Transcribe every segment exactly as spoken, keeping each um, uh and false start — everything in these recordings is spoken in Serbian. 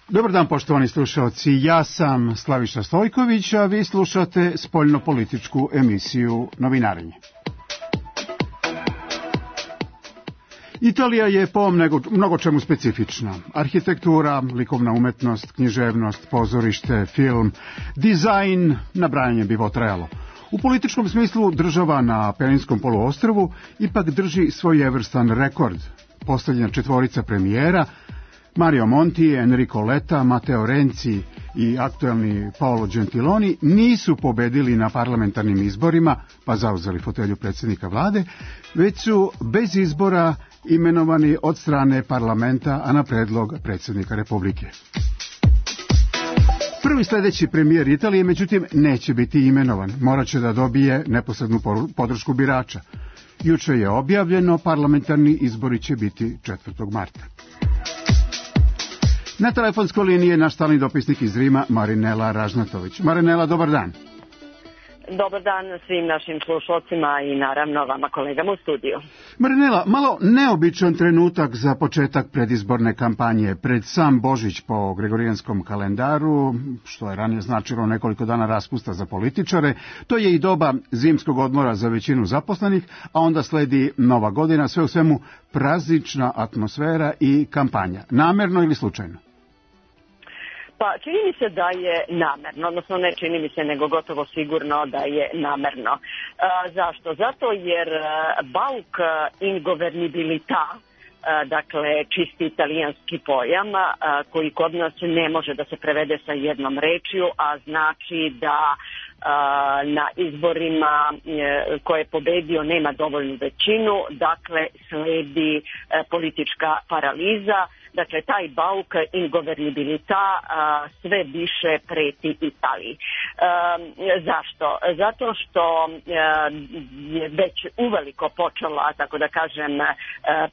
Dobar dan, poštovani slušalci. Ja sam Slaviša Stojković, a vi slušate spoljnopolitičku emisiju Novinarenje. Italija je po mnogo čemu specifična. Arhitektura, likovna umetnost, književnost, pozorište, film, dizajn, nabrajanje bi trajalo. U političkom smislu država na Apeninskom poluostrvu ipak drži svojevrstan rekord. Posljednja četvorica premijera, Mario Monti, Enrico Letta, Matteo Renzi i aktuelni Paolo Gentiloni, nisu pobedili na parlamentarnim izborima, pa zauzeli fotelju predsjednika vlade, već su bez izbora imenovani od strane parlamenta, a na predlog predsjednika Republike. Prvi sljedeći premijer Italije, međutim, neće biti imenovan. Morat će da dobije neposrednu podršku birača. Juče je objavljeno, parlamentarni izbori će biti četvrtog marta. Na telefonskoj liniji je naš stalni dopisnik iz Rima, Marinela Ražnatović. Marinela, dobar dan. Dobar dan svim našim slušalcima i naravno vama kolegama u studiju. Marinela, malo neobičan trenutak za početak predizborne kampanje. Pred sam Božić po gregorijanskom kalendaru, što je ranije značilo nekoliko dana raspusta za političare, to je i doba zimskog odmora za većinu zaposlenih, a onda sledi Nova godina, sve u svemu praznična atmosfera i kampanja. Namerno ili slučajno? Pa čini mi se da je namerno, odnosno ne čini mi se nego gotovo sigurno da je namerno. E, zašto? Zato jer bauk ingovernibilità, dakle čisti italijanski pojam koji kod nas ne može da se prevede sa jednom rečju, a znači da na izborima koje je pobedio nema dovoljnu većinu, dakle sledi politička paraliza. Dakle, taj bauk ingovernibilità sve više preti Italiji. E, zašto? Zato što je već uveliko počela, tako da kažem,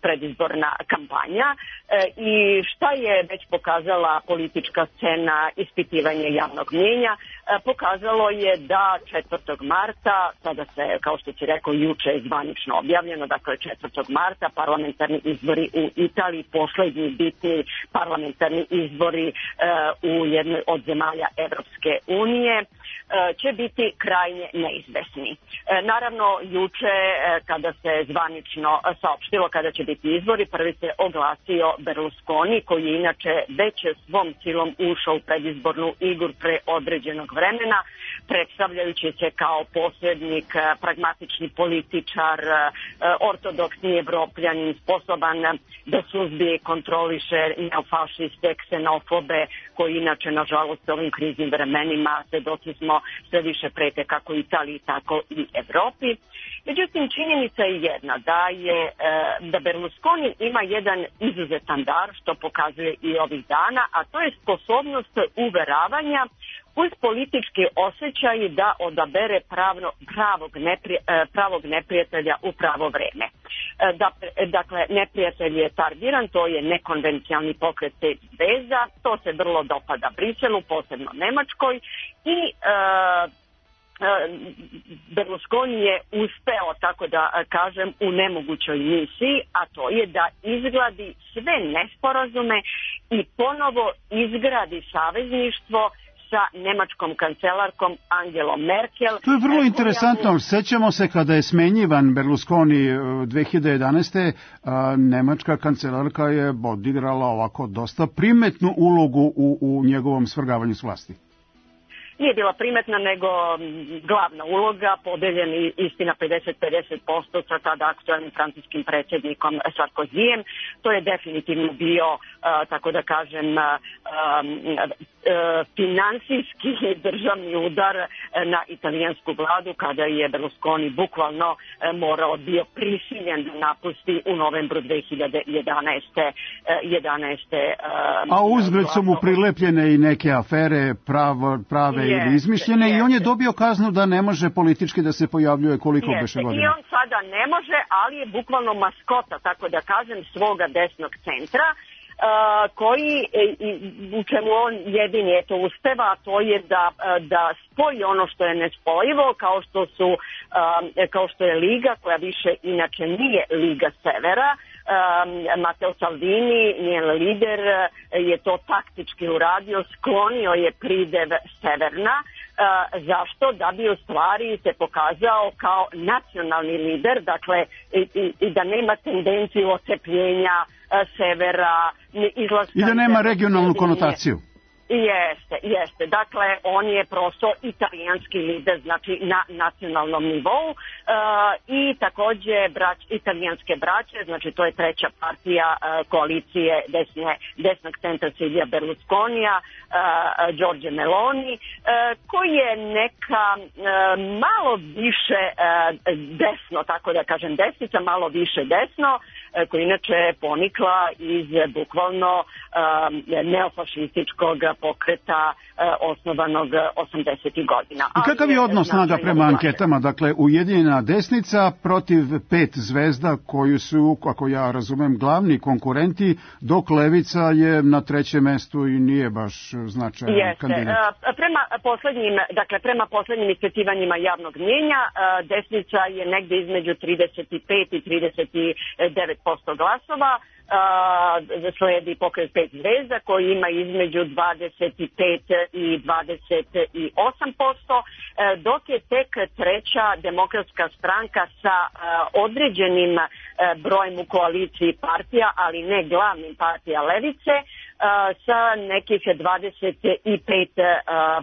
predizborna kampanja e, i šta je već pokazala politička scena, ispitivanje javnog mnijenja, e, pokazalo je da četvrtog marta, sada se, kao što si rekao, juče je zvanično objavljeno, dakle četvrtog marta parlamentarni izbori u Italiji, poslednji bitni parlamentarni izbori e, u jednoj od zemalja Evropske unije, e, će biti krajnje neizvesni. E, naravno, juče e, kada se zvanično saopštilo kada će biti izbori, prvi se oglasio Berlusconi, koji je inače već svom silom ušao u predizbornu igru pre određenog vremena, predstavljajući se kao posrednik, pragmatični političar, ortodoksni evropljanin, sposoban da suzbije i kontroliše neofašiste, ksenofobe, koji inače, nažalost, ovim kriznim vremenima svedoci smo sve više prete kako Italiji, tako i Evropi. Međutim, činjenica je jedna, da je da Berlusconi ima jedan izuzetan dar, što pokazuje i ovih dana, a to je sposobnost uveravanja uz politički osjećaj da odabere pravno, pravog, neprije, pravog neprijatelja u pravo vreme. Da, dakle, neprijatelj je targiran, to je nekonvencijalni pokret pet zveza, to se vrlo dopada Briselu, posebno Nemačkoj, i e, Berlusconi je uspeo, tako da kažem, u nemogućoj misiji, a to je da izgladi sve nesporazume i ponovo izgradi savezništvo sa nemačkom kancelarkom Angelom Merkel. To je vrlo interesantno. Sećamo se kada je smenjivan Berlusconi dve hiljade jedanaeste. Nemačka kancelarka je odigrala ovako dosta primetnu ulogu u, u njegovom svrgavanju s vlasti. Nije bila primetna, nego glavna uloga, podeljeni istina pedeset pedeset posto sa tada aktualnim francuskim predsjednikom Sarkozijem. To je definitivno bio, uh, tako da kažem, uh, uh, finansijski državni udar na italijansku vladu, kada je Berlusconi bukvalno uh, morao bio prisiljen da napusti u novembru dve hiljade jedanaeste. jedanaeste uh, A uzgred su mu prilepljene i neke afere pravo, prave je, ili izmišljene je, i on je dobio kaznu da ne može politički da se pojavljuje koliko je, beše godina. I on sada ne može, ali je bukvalno maskota, tako da kažem, svoga desnog centra, Uh, koji, u čemu on jedini eto uspeva, a to je da, da spoji ono što je nespojivo, kao što su, uh, kao što je Liga, koja više inače nije Liga Severa, Matteo Salvini, njen lider, je to taktički uradio, sklonio je pridev Severna. Zašto? Da bi u stvari se pokazao kao nacionalni lider, dakle i, i, i da nema tendenciju ocepljenja severa, izlaska... I da nema regionalnu konotaciju. Jeste, jeste. Dakle, on je prosto italijanski lider, znači na nacionalnom nivou e, i takođe brać, italijanske braće, znači to je treća partija e, koalicije desne, desnog centra Silvia Berlusconija, e, Giorgia Meloni, e, koji je neka e, malo više e, desno, tako da kažem desnica, malo više desno, e, koji inače je ponikla iz bukvalno e, neofašističkog pokreta e, osnovanog osamdesetih godina. I kakav je odnos snaga prema anketama? Dakle, ujedinjena desnica protiv pet zvezda koju su, ako ja razumem, glavni konkurenti, dok levica je na trećem mestu i nije baš značajan Jeste. kandidat. Prema poslednjim, dakle, prema poslednjim ispitivanjima javnog mnjenja, desnica je negde između trideset pet i trideset devet posto glasova. Uh, sledi pokret pet zvezda koji ima između dvadeset pet i dvadeset osam posto, uh, dok je tek treća demokratska stranka sa uh, određenim uh, brojem u koaliciji partija, ali ne glavnim partija levice, Uh, sa nekih dvadeset pet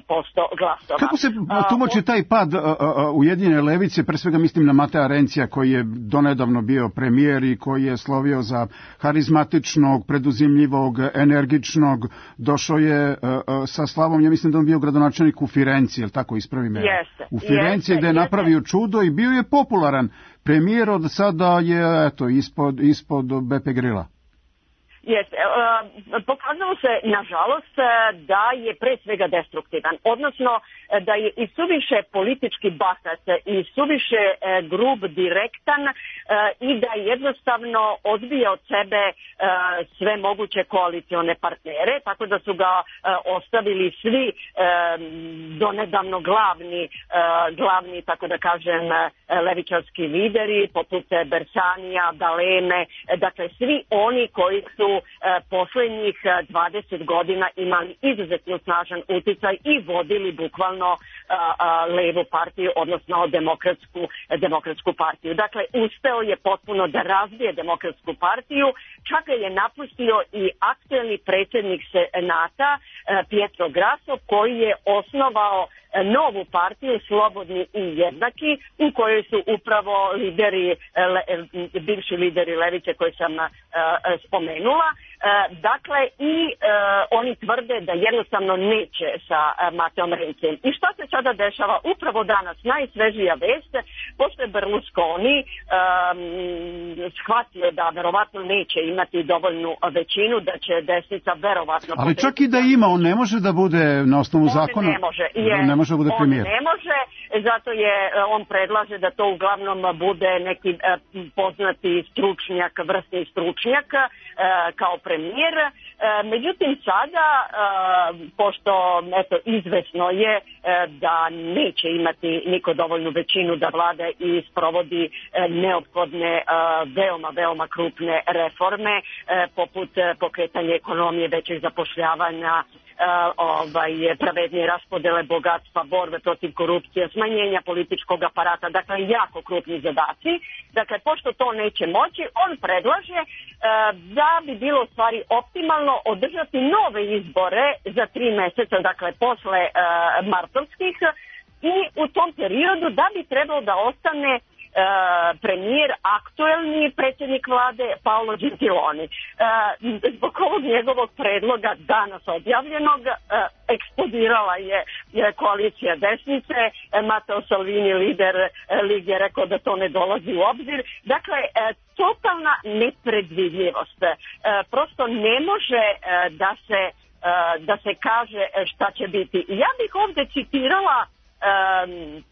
posto uh, glasova. Kako se tumači taj pad uh, uh, Ujedinjene levice, pre svega mislim na Matea Rencija koji je donedavno bio premijer i koji je slovio za harizmatičnog, preduzimljivog, energičnog, došao je uh, uh, sa slavom, ja mislim da on bio gradonačelnik u Firenci, jel tako, ispravi me? Jeste. U Firenci gde je napravio čudo i bio je popularan premijer, od sada je eto, ispod, ispod Beppe Grilla. Jeste. E, pokazalo se, nažalost, da je pre svega destruktivan, odnosno da je i suviše politički bahat i suviše e, grub, direktan e, i da jednostavno odbija od sebe e, sve moguće koalicione partnere, tako da su ga e, ostavili svi e, donedavno glavni, e, glavni, tako da kažem, levičarski lideri, poput Bersanija, D'Aleme, dakle svi oni koji su poslednjih dvadeset godina imali izuzetno snažan uticaj i vodili bukvalno levu partiju, odnosno demokratsku, demokratsku partiju. Dakle, uspeo je potpuno da razbije demokratsku partiju, čak je napustio i aktuelni predsjednik Senata Pietro Grasso, koji je osnovao novu partiju Slobodni i jednaki, u kojoj su upravo lideri, le, bivši lideri levice koje sam uh, spomenula. Uh, dakle, i uh, oni tvrde da jednostavno neće sa uh, Mateom Rencijem. I šta se sada dešava? Upravo danas, najsvežija vest, pošto je Berlusconi um, shvatio da verovatno neće imati dovoljnu većinu, da će desnica verovatno... Ali čak i da ima, on ne može da bude na osnovu on zakona... ne može, je, ne može da bude premijer. On ne može, zato je, on predlaže da to uglavnom bude neki uh, poznati stručnjak, vrstni stručnjak uh, kao premijer. Uh, međutim, sada, uh, pošto eto, izvesno je uh, da neće imati niko dovoljnu većinu da vlada i sprovodi uh, neophodne, uh, veoma, veoma krupne reforme, uh, poput uh, pokretanja ekonomije, većeg zapošljavanja, Uh, ovaj, pravednije raspodele bogatstva, borbe protiv korupcije, smanjenja političkog aparata, dakle jako krupni zadaci. Dakle, pošto to neće moći, on predlaže uh, da bi bilo u stvari optimalno održati nove izbore za tri meseca, dakle posle uh, martovskih, i u tom periodu da bi trebalo da ostane Uh, premijer, aktuelni predsjednik vlade Paolo Gentiloni. Uh, zbog ovog njegovog predloga danas objavljenog uh, eksplodirala je, je koalicija desnice. uh, Matteo Salvini, lider uh, lige, rekao da to ne dolazi u obzir. Dakle, uh, totalna nepredvidljivost. Uh, prosto ne može uh, da se uh, da se kaže šta će biti. Ja bih ovdje citirala um,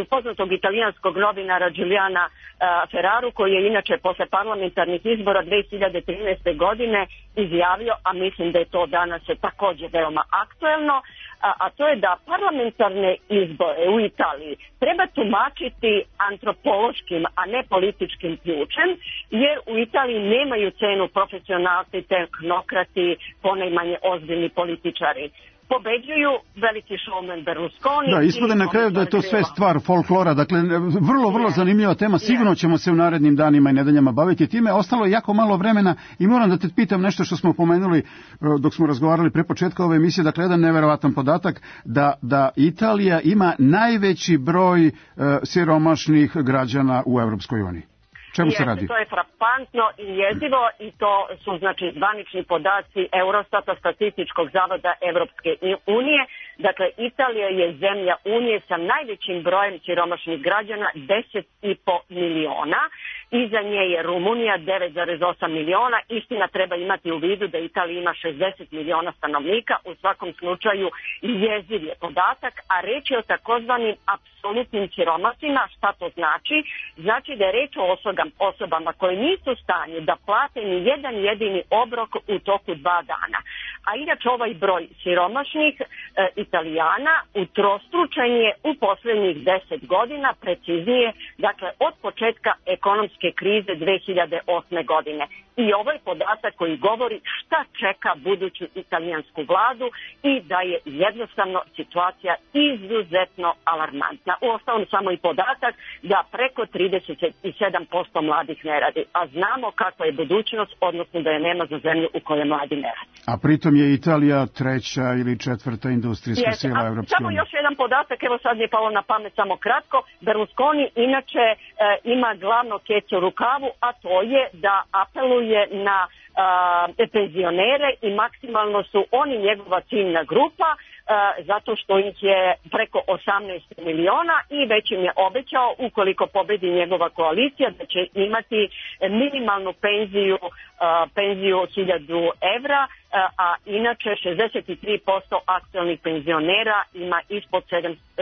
poznatog italijanskog novinara Giuliana Ferraru, koji je inače posle parlamentarnih izbora dve hiljade trinaeste. godine izjavio, a mislim da je to danas također veoma aktuelno, a, a to je da parlamentarne izbore u Italiji treba tumačiti antropološkim, a ne političkim ključem, jer u Italiji nemaju cenu profesionalci, tehnokrati, ponajmanje ozbiljni političari. Pobeđuju veliki showman Berlusconi. Da, ispade na kraju da je to sve stvar folklora. Dakle, vrlo, vrlo zanimljiva tema. Sigurno ćemo se u narednim danima i nedeljama baviti time. Ostalo je jako malo vremena i moram da te pitam nešto što smo pomenuli dok smo razgovarali pre početka ove emisije. Dakle, jedan neverovatan podatak da, da Italija ima najveći broj uh, siromašnih građana u Europskoj uniji. Čemu se radi? To je frapantno i jezivo i to su znači zvanični podaci Eurostata, Statističkog zavoda Evropske unije. Dakle, Italija je zemlja Unije sa najvećim brojem siromašnih građana, deset i po miliona. Iza nje je Rumunija, devet zarez osam miliona. Istina, treba imati u vidu da Italija ima šezdeset miliona stanovnika. U svakom slučaju jeziv je podatak, a reč je o takozvanim apsolutnim siromasima. Šta to znači? Znači da je reč o osobama koje nisu u stanju da plate ni jedan jedini obrok u toku dva dana. A inače ovaj broj siromašnih e, Italijana utrostručen je u posljednjih deset godina, preciznije, dakle od početka ekonomske krize dve hiljade osme. godine. I ovo je podatak koji govori šta čeka buduću italijansku vladu i da je jednostavno situacija izuzetno alarmantna. Uostalom samo i podatak da preko trideset sedam posto mladih ne radi, a znamo kakva je budućnost, odnosno da je nema za zemlju u kojoj mladi ne radi. A pritom je Italija treća ili četvrta industrijska Jeste, sila Evropske unije. Samo još jedan podatak, evo sad mi je palo na pamet samo kratko. Berlusconi inače e, ima glavno keco u rukavu, a to je da apeluje na e, penzionere i maksimalno su oni njegova ciljna grupa, zato što ih je preko osamnaest miliona i već im je obećao, ukoliko pobedi njegova koalicija, da će imati minimalnu penziju, penziju hiljadu evra, a inače šezdeset tri posto aktualnih penzionera ima ispod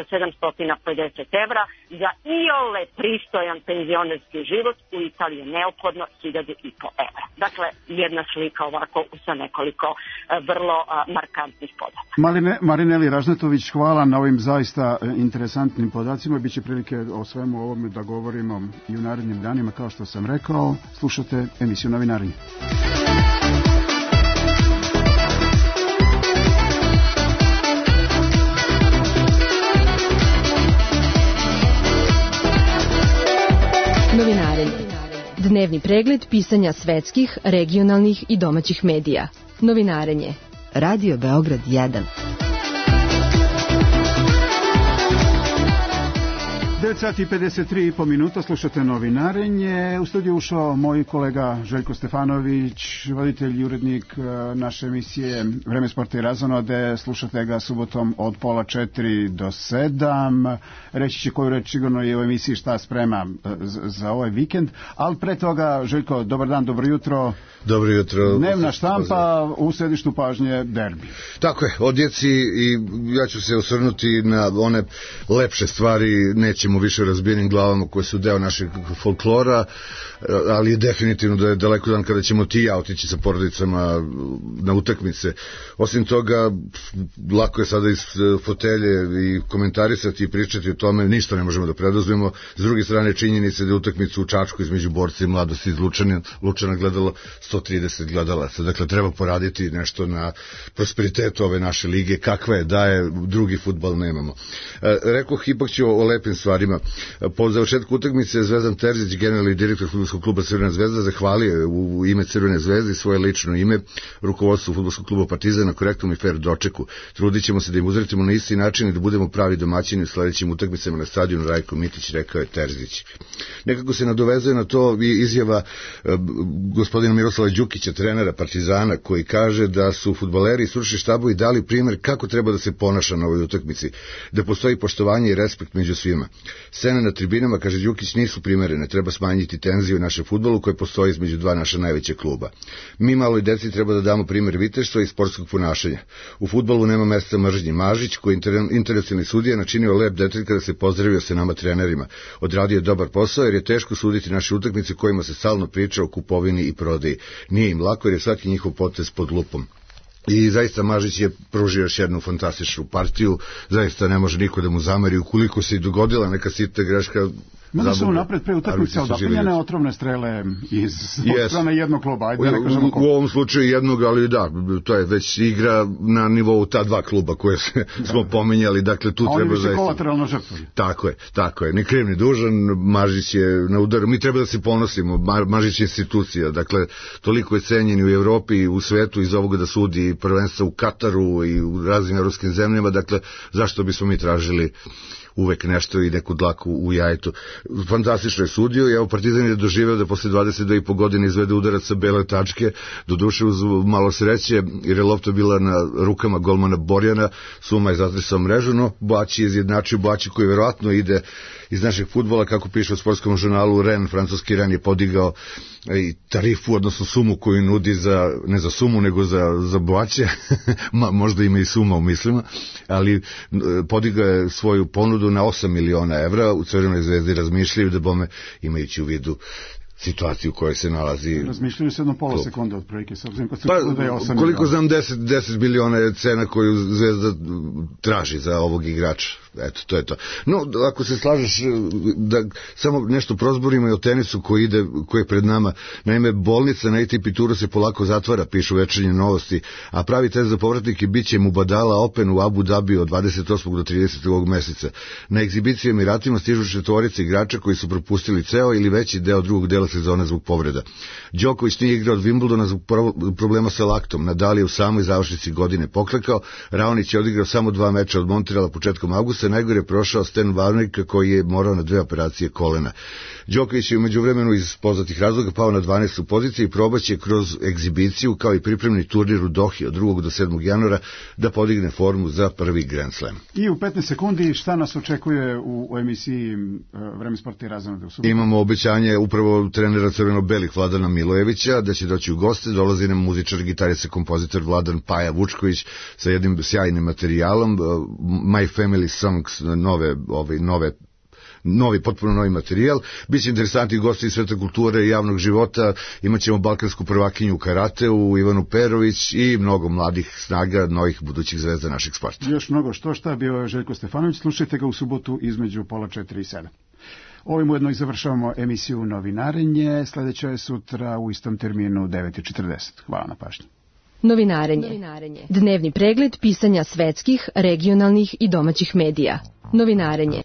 sedamsto pedeset evra. Za iole pristojan penzionerski život u Italiji je neophodno hiljadu i po evra. Dakle, jedna slika ovako sa nekoliko vrlo markantnih podataka. Marine, Marineli Ražnatović, hvala na ovim zaista interesantnim podacima. Biće prilike o svemu ovome da govorimo i u narednim danima, kao što sam rekao. Slušate emisiju Novinarenje. Novinarenje. Dnevni pregled pisanja svetskih, regionalnih i domaćih medija. Novinarenje. Radio Beograd jedan. devet sati i pedeset tri i po minuta, slušate Novinarenje. U studiju ušao moj kolega Željko Stefanović, voditelj i urednik naše emisije Vreme sporta i razonode. Slušate ga subotom od pola četiri do sedam. Reći će koju reč sigurno je u emisiji šta sprema za ovaj vikend. Ali pre toga, Željko, dobar dan, dobro jutro. Dobro jutro. Dnevna štampa, u središtu pažnje derbi. Tako je, odjeci, i ja ću se osvrnuti na one lepše stvari, nećemo više razbijenim glavama koje su deo našeg folklora, ali je definitivno da je daleko dan kada ćemo ti ja otići sa porodicama na utakmice. Osim toga, lako je sada iz fotelje i komentarisati i pričati o tome, ništa ne možemo da preduzmemo. S druge strane, činjenice da je utakmicu u Čačku između Borca i Mladosti iz Lučana, Lučana gledalo sto trideset gledalaca. Dakle, treba poraditi nešto na prosperitetu ove naše lige, kakva je, da je, drugi fudbal nemamo. E, rekoh, ipak ću o, o lepim stvarima. Po završetku utakmice Zvezdan Terzić, generalni direktor fudbalskog kluba Crvena zvezda, zahvalio u, u ime Crvene zvezde i svoje lično ime rukovodstvu fudbalskog kluba Partizan na korektnom i fair dočeku. Trudit ćemo se da im uzretimo na isti način i da budemo pravi domaćini u sledećim utakmicama na stadionu Rajko Mitić, rekao je Terzić. Nekako se nadovezuje na to i izjava e, gospodina Miroslava Đukića, trenera Partizana, koji kaže da su fudbaleri i stručni štabovi dali primjer kako treba da se ponaša na ovoj utakmici, da postoji poštovanje i respekt među svima. Scene na tribinama, kaže Đukić, nisu primerene, treba smanjiti tenziju našem fudbalu koje postoji između dva naša najveća kluba. Mi maloj deci treba da damo primer viteštva i sportskog ponašanja. U fudbalu nema mesta mržnji. Mažić, koji je internacionalni sudija, načinio lep detalj kada se pozdravio sa nama trenerima. Odradio je dobar posao jer je teško suditi naše utakmice kojima se stalno priča o kupovini i prodaji. Nije im lako jer je svaki njihov potez pod lupom. I zaista Mažić je pružio još jednu fantastičnu partiju, zaista ne može niko da mu zameri, ukoliko se i dogodila neka sitna greška. Mada su napred pre utakmice odapiljene otrovne strele iz yes. strane jednog kluba. Ajde, ne kažemo ko. U ovom slučaju jednog, ali da, to je već igra na nivou ta dva kluba koje se, da, smo pominjali, dakle tu a treba zaista. A oni više kolateralno žrtvovi. Tako je, tako je, ni kriv ni dužan, Mažić je na udaru, mi treba da se ponosimo, Mažić je institucija, dakle toliko je cenjen u Evropi i u svetu iz ovoga da sudi prvenstva u Kataru i u raznim evropskim zemljama, dakle zašto bismo mi tražili uvek nešto i neku dlaku u jajetu. Fantastično je sudio i evo Partizan je doživeo da posle dvadeset dve i po godine izvede udarac sa bele tačke, doduše uz malo sreće jer je lopta bila na rukama golmana Borjana, Suma je zatresao mrežu, no Boaći je izjednačio, Boaći koji verovatno ide iz našeg fudbala, kako piše u sportskom žurnalu Ren, francuski Ren je podigao i tarifu, odnosno sumu koju nudi za, ne za sumu, nego za, za Boaće, možda ima i suma u mislima, ali podigao je svoju ponudu na osam miliona evra, u Crvenoj zvezdi razmišljaju da bome, imajući u vidu situaciju u kojoj se nalazi. Razmišljaju se jedno pola sekunde od prilike, s obzirom kad se pa, da je osam koliko miliona. znam, deset miliona je cena koju Zvezda traži za ovog igrača. Eto, to je to. No, ako se slažeš da samo nešto prozborimo i o tenisu koji ide, koji je pred nama. Naime, bolnica na A T P Touru se polako zatvara, pišu Večernje novosti, a pravi test za povratnike bit će Mubadala Open u Abu Dhabi od dvadeset osmog do tridesetog ovog meseca. Na egzibiciju Emiratima stižu četvorice igrača koji su propustili ceo ili veći deo drugog dela sezone zbog povreda. Đoković nije igrao od Wimbledona zbog problema sa laktom. Nadal je u samoj završnici godine poklekao. Raonić je odigrao samo dva meča od Montreala početkom avgusta. Najgore je prošao Stan Wawrinka koji je morao na dve operacije kolena. Đoković je u međuvremenu iz poznatih razloga pao na dvanaestu poziciju i probaće kroz egzibiciju kao i pripremni turnir u Dohi od drugog do sedmog januara da podigne formu za prvi Grand Slam. I u petnaest sekundi šta nas očekuje u, u emisiji Vreme sporta i razonode u subotu? Imamo obećanje upravo trenera crveno-belih Vladana Milojevića da će doći u goste, dolazi nam muzičar, gitarista, kompozitor Vladan Paja Vučković sa jednim sjajnim materijalom, My Family Songs, nove, ove, nove novi, potpuno novi materijal. Biće interesantni gosti iz sveta kulture i javnog života. Imaćemo balkansku prvakinju u karateu, Ivanu Perović i mnogo mladih snaga, novih budućih zvezda našeg sporta. Još mnogo što šta, bio je Željko Stefanović. Slušajte ga u subotu između pola četiri i sedam. Ovim ujedno i završavamo emisiju Novinarenje. Sledeća je sutra u istom terminu u devet i četrdeset. Hvala na pažnji. Novinarenje. Novinarenje. Dnevni pregled pisanja svetskih, regionalnih i domaćih medija. Novinarenje.